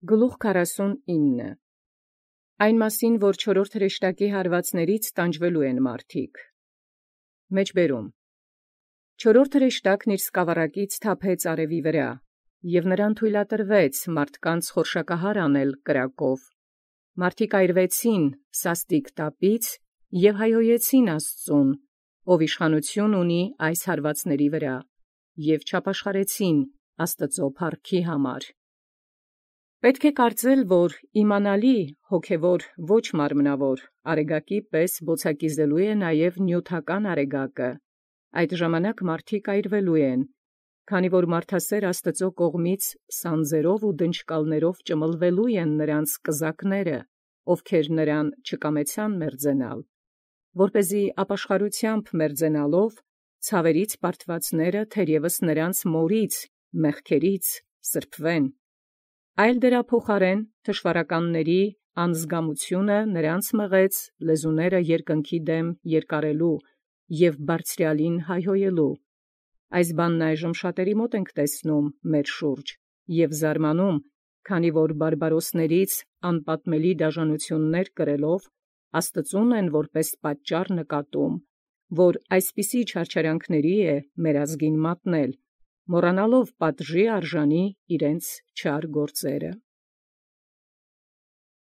Գլուխ 49 Այն մասին, որ չորրորդ հրեշտակի հարվածաց տանջվելու են մարդիկ։ Մեջբերում. Չորրորդ հրեշտակն իր սկավառակից թափեց արևի վրա, և նրան թույլատրվեց մարդկանց խորշակահար անել կրակով. մարդիկ այրվեցին սաստիկ տապից և հայհոյեցին Աստուծուն, ով իշխանութիւն ունի այս հարվածաց վրա, և չապաշխարեցին Աստուծոյ փառքի համար։ Պետք է կարծել, որ իմանալի հոգևոր ոչ մարմնավոր արեգակի պես բոցակիզելու է նաև նիւթական արեգակը, այդ ժամանակ մարդիկ այրվելու են, քանի որ մարդասէր Աստուծոյ կողմից սանձերով ու դնչկալներով ճմլվելու են նոցա կզակները, ովքեր նրան չկամեցան մերձենալ, որպեսզի ապաշխարութեամբ մերձենալով ցաւերից պարտվածները թերևս նոցա մորից մեղքերից սրբովեն, այլ դրա փոխարէն թշուարականների անզգամութիւնը նոցա մղեց լեզուները երկնքի դէմ երկարելու և բարձրեալին հայհոյելու։ Այս բանն այժմ շատերի մոտ ենք տեսնում մեր շուրջ և զարմանում, քանի որ բարբարոսներից անպատմելի դաժանութիւնս կրելով, Աստուծոյ են որպէս պատճառ նկատում, որ այսպիսի չարչարանքների մեր ազգին մատնել, մոռանալով պատժի արժանի իւրեանց չար գործերը։